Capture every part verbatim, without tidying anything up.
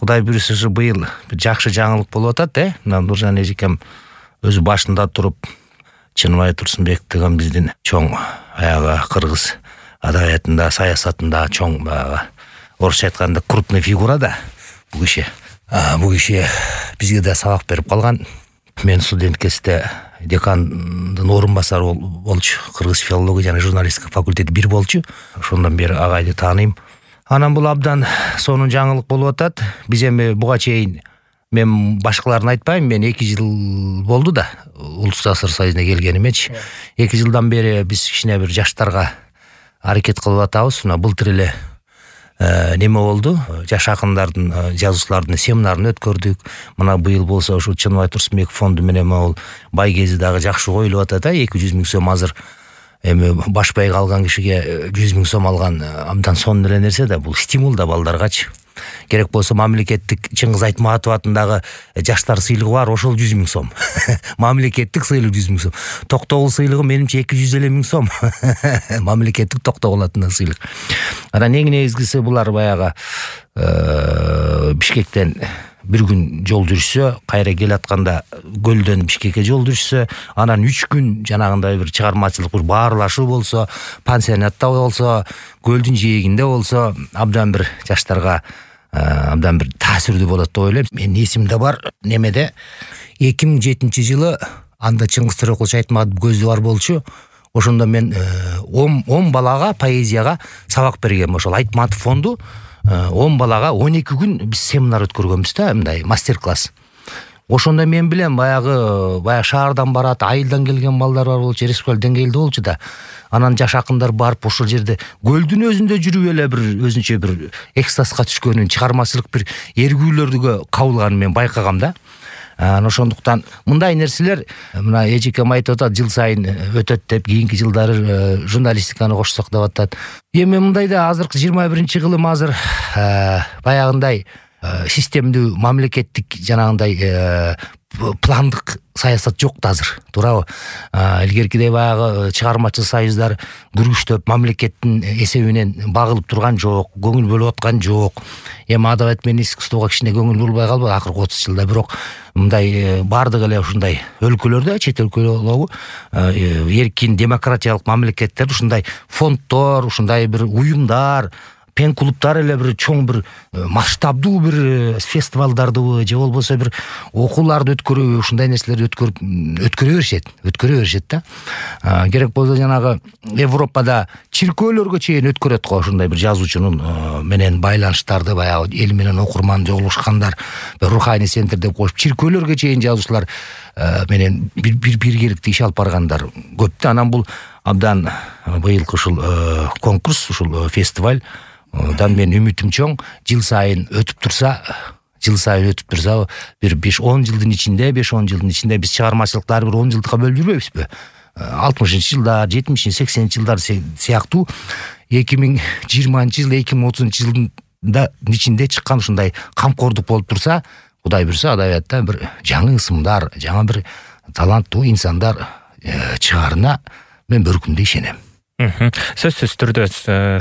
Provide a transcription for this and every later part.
Кудай буюрса ушу быйыл бир жакшы жаңылык болуп атат, э. Мына Нуржан эжекем өзү башында туруп Чыныбай Турсунбек деген биздин чоң аягы кыргыз адабиятында, саясатында чоң баягы орусча айтканда крупный фигура да бул киши. Бул киши бизге да сабак берип калган. Мен студент кезде декандын орун басары болчу. Кыргыз филология жана журналистика факультети бир болчу. Ошондон бери агайды тааныйм. Анан бул абдан сонун жаңылык болуп атат. Биз эми буга чейин мен башкаларын айтпайм, мен эки жыл болду да Улус Жаштар союзуна келгенимечи. эки жылдан бери биз кичине бир жаштарга аракет кылып атабыз. Мына былтыр эле неме болду? Жаш акындардын, жазуучулардын семинарын өткөрдүк. Мына быйыл болсо ушу Чыныбай Турсунбек фонду менен могул бай кези дагы жакшы коюлуп атат. эки жүз миң сом азыр эми баш байга алган кишиге жүз миң сом алган абдан сонун эле нерсе да, бул стимул да балдаргачы. Керек болсо мамлекеттик Чыңгыз Айтматов атындагы жаштар сыйлыгы бар, ошол жүз миң сом. Мамлекеттик сыйлык жүз миң сом. Токтогул сыйлыгы менимче эки жүз элүү миң сом. Мамлекеттик Токтогул атындагы сыйлык. Анан эң негизгиси булар баягы Бишкектен бир күн жол жүрсө, кайра келатканда Көлдөн Бишкекке жол жүрсө, анан үч күн жанагындай бир чыгармачылык бир баарлашуу болсо, пансионатта болсо, көлдүн жээгинде болсо, абдан бир жаштарга абдан бир таасирдүү болот деп ойлойм. Менин эсимде бар, немеде эки миң жетинчи жылы анда Чыңгыз Төрөкулович Айтматов көзү бар болчу. Ошондо мен он балага поэзияга сабак бергем. Ошол Айтматов фонду он балага он эки күн биз семинар өткөргөнбүз да, мындай мастер-класс. Ошондо мен билем баягы баягы шаардан барат, айылдан келген балдар бар болчу, республикалык деңгээлде болчу да. Анан жаш акындар барып ошол жерде көлдүн өзүндө жүрүп эле бир өзүнчө бир экстазга түшкөнүн, чыгармачылык бир эргүүлөргө кабылганын мен байкагам да. Ошондуктан мындай нерселер мына эжекем айтып атат, жыл сайын өтөт деп, кийинки жылдары журналистиканы кошсок деп атат. Эми мындай да азыркы жыйырма биринчи кылым азыр баягындай системдүү мамлекеттик жанагындай пландык саясат жок да азыр, туурабы? Илгеркидей баягы чыгармачыл союздар күрүштөп мамлекеттин эсебинен багылып турган жок, көңүл бөлүп аткан жок. Эми адабият менен искусствого кичине көңүл бурбай калбады акыркы отуз жылда, бирок мындай бардык эле ушундай өлкөлөрдө, чет өлкөлөрдө эркин демократиялык мамлекеттерде ушундай фонддор, ушундай бир уюмдар, пен клубтар эле бир чоң бир масштабдуу бир фестивалдарды же болбосо бир окууларды өткөрүп, ушундай нерселерди өткөрүп өткөрө беришет, өткөрө беришет да. Керек болсо жанагы Европада чиркөөлөргө чейин өткөрөт го ушундай бир жазуучунун менен байланыштарды, баягы эл менен окурман жолугушкандар, руханий центр деп коюп, чиркөөлөргө чейин жазуучулар менен бир биргеликте иш алып баргандар көп да. Анан бул абдан быйылкы ушул конкурс, ушул фестиваль дан мен үмүтүм чоң, жыл сайын өтүп турса, жыл сайын өтүп турса, бир беш он жылдын ичинде, беш он жылдын ичинде биз чыгармачылыктарды бир он жылдыкка бөлүп жүрбөйбүзбү? алтымышынчы жылдар, жетимишинчи, сексенинчи жылдар сыяктуу эки миң жыйырманчы жыл, эки миң отузунчу жылдын ичинде чыккан ушундай камкордук болуп турса, Кудай буйрса адабиятта бир жаңы ысымдар, жаңы бир таланттуу инсандар чыгарына мен бір күнде ишенем. Сөзсүз түрдө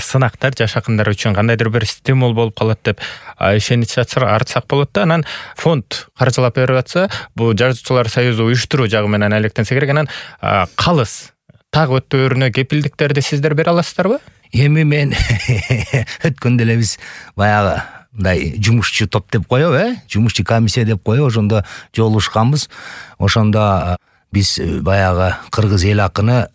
сынактар жаш акындар үчүн кандайдыр бир стимул болуп калат деп ишенич артсак болот да. Анан фонд каржылап берип атса, бул жазуучулар союзу уюштуруу жагы менен алектенсе керек. Анан калыс так өтөөрүнө кепилдиктерди сиздер бере аласыздарбы? Эми мен өткөндө эле биз баягы мындай жумушчу топ деп коебу, э? Жумушчу комиссия деп коебу, ошондо жолугушканбыз. Ошондо биз баягы кыргыз эл акыны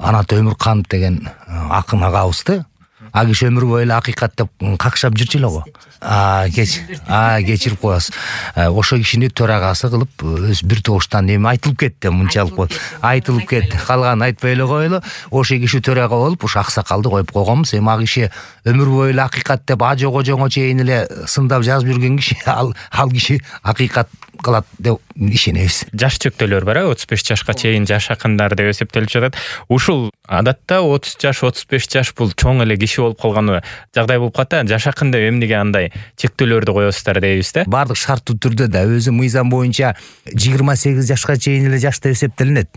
Анат Өмүрканов деген акын агабызды, а киши өмүр бою эле акыйкат деп какшап жүрчү эле го. А кечирип коесуз. Ошо кишини төрагасы кылып өз бир тогуштан эми айтылып кетти, мынчалык болуп айтылып кетти. Калганын айтпай эле коелу. Ошо киши төрага болуп, ушу аксакалды коюп койгонбуз. Эми а киши өмүр бою эле акыйкат деп ажого жоңо чейин эле сындап жазып жүргөн киши, ал ал киши акыйкат кылат деп ишенебиз. Жаш чектөөлөр бар, отуз беш жашка чейин жаш акындар деп эсептелип жатат. Ушул адатта отуз жаш, отуз беш жаш бул чоң эле киши болуп калган жагдай болуп калат. Жаш акын деп эмнеге андай чектөөлөрдү коесуздар дейбиз да. Бардык шарттуу түрдө да өзү мыйзам боюнча жыйырма сегиз жашка чейин эле жаш деп эсептелинет.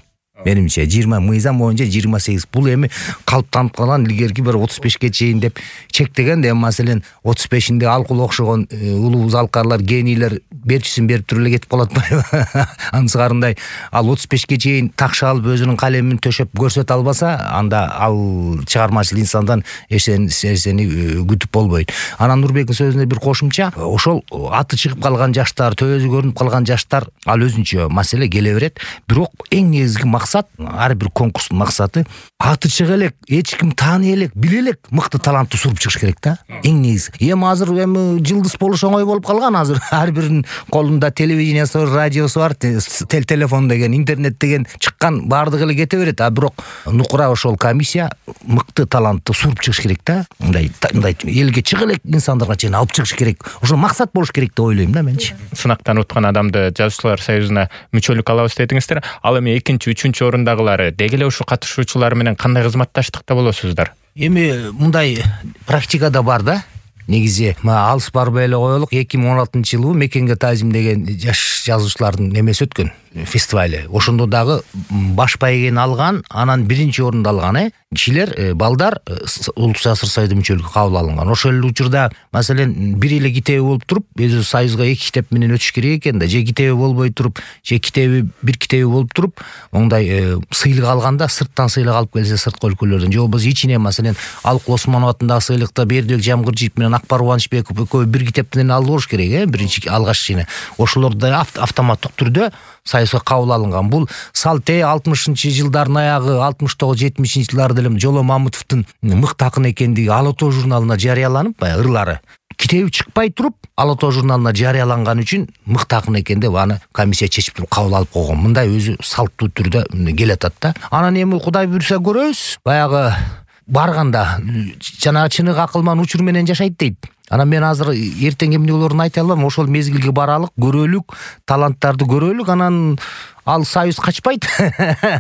менимче жыйырма мыйзам боюнча жыйырма сегиз. Бул эми калыптанып калган илгерки бир отуз бешке чейин деп чектеген да, эми маселен отуз бешинде алкул окшогон улуу алкарлар, генийлер берчисин берип туруп эле кетип калат атпайбы? Ансыгарындай ал отуз бешке чейин такша алып өзүнүн калемин төшөп көрсөтө албаса, анда ал чыгармачыл инсандан эч нерсени күтүп болбойт. Анан Нурбектин сөзүнө бир кошумча, ошол аты чыгып калган жаштар, төбөсү көрүнүп калган жаштар ал өзүнчө маселе келе берет. Бирок эң негизги максат, ар бир конкурстун максаты аты чыга элек, эч ким тааный элек, биле элек мыкты талантты суруп чыгыш керек да. Эң негизи. Эми азыр эми жылдыз болуш оңой болуп калган. Азыр ар биринин колунда телевидениясы бар, радиосу бар, тел телефон деген, интернет деген чыккан, баардыгы эле кете берет. А бирок нукура ошол комиссия мыкты талантты суруп чыгыш керек да. Мындай мындай элге чыга элек инсандарга чейин алып чыгыш керек. Ошол максат болуш керек деп ойлойм да менчи. Сынактан уткан адамды Жазуучулар союзуна мүчөлүк алабыз дедиңиздер. Ал эми экинчи, үчүнчү орундагылары деги эле ушул катышуучулар менен кандай кызматташтыкта болосуздар? Эми мындай практикада бар да. Негизи алыс барбай эле коелук, эки миң он алтынчы жылы Мекенге таазим деген жаш жазуучулардын эмеси өткөн, фестивале. Ошондо дагы баш байгени алган, анан биринчи орунду алган э кишилер, балдар Улуттук жаштар союзуна мүчөлүккө кабыл алынган. Ошол эле учурда маселен бир эле китеби болуп туруп, өзү союзга эки китеп менен өтүш керек экен да. Же китеби болбой туруп, же китеби бир китеби болуп туруп, оңдай сыйлык алганда сырттан сыйлык алып келсе, сырткы өлкөлөрдөн, же болбосо ичине маселен Алык Осмонов атындагы сыйлыкта Бердибек Жамгыржиев менен Акбар Убанычбеков экөө бир китептен алып болуш керек э, биринчи алгач ичине. Ошолор да автоматтык түрдө союзга кабыл алынган. Бул салте алтымышынчы жылдардын аягы, алтымыш тогуз жетимишинчи жылдары деле Жоло Мамытовдун мыкты акын экендиги Ала тоо журналына жарыяланып, баягы ырлары китеби чыкпай туруп Ала тоо журналына жарыяланган үчүн мыкты акын экен деп аны комиссия чечип туруп кабыл алып койгон. Мындай өзү салттуу түрдө келет атат да. Анан эми Кудай буйрса көрөбүз. Баягы барганда жана чыныгы акылман учур менен жашайт дейт. Анан мен азыр эртең эмне болоорун айта албайм. Ошол мезгилге баралык, көрөлүк, таланттарды көрөлүк, анан ал союз качпайт.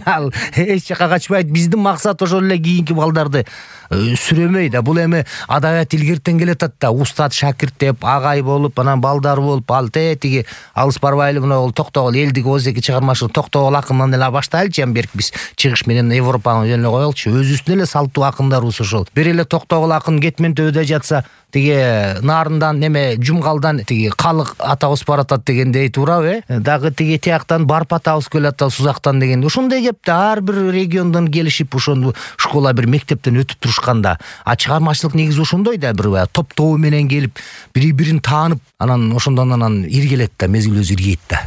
Ал эч жака качпайт. Биздин максат ошол эле кийинки балдарды сүрөмөй да. Бул эми адабият илгертен келет атат да. Устат шакирт деп, агай болуп, анан балдар болуп, ал тетиги алыс барбай эле мына токтогул элдик озеки чыгармачылык токтогул акындан эле баштайлычы. Эми берки биз чыгыш менен Европанын жөнүнө коелучу. Өзүбүздүн эле салттуу акындарыбыз ошол. Бир эле токтогул акын кетмен төбөдө жатса, тиги нарындан неме жумгалдан тиги калык атабыз баратат дегендей туурабы э? Дагы тиги тияктан барп атабыз келет атат Сузактан дегенде. Ошондой кеп да ар бир региондон келишип ошону школа бир мектептен өтүп турушканда. А чыгармачылык негизи ошондой да, бир топ-тобу менен келип, бири-бирин таанып, анан ошондон анан иргелет да, мезгил өзү иргейт да.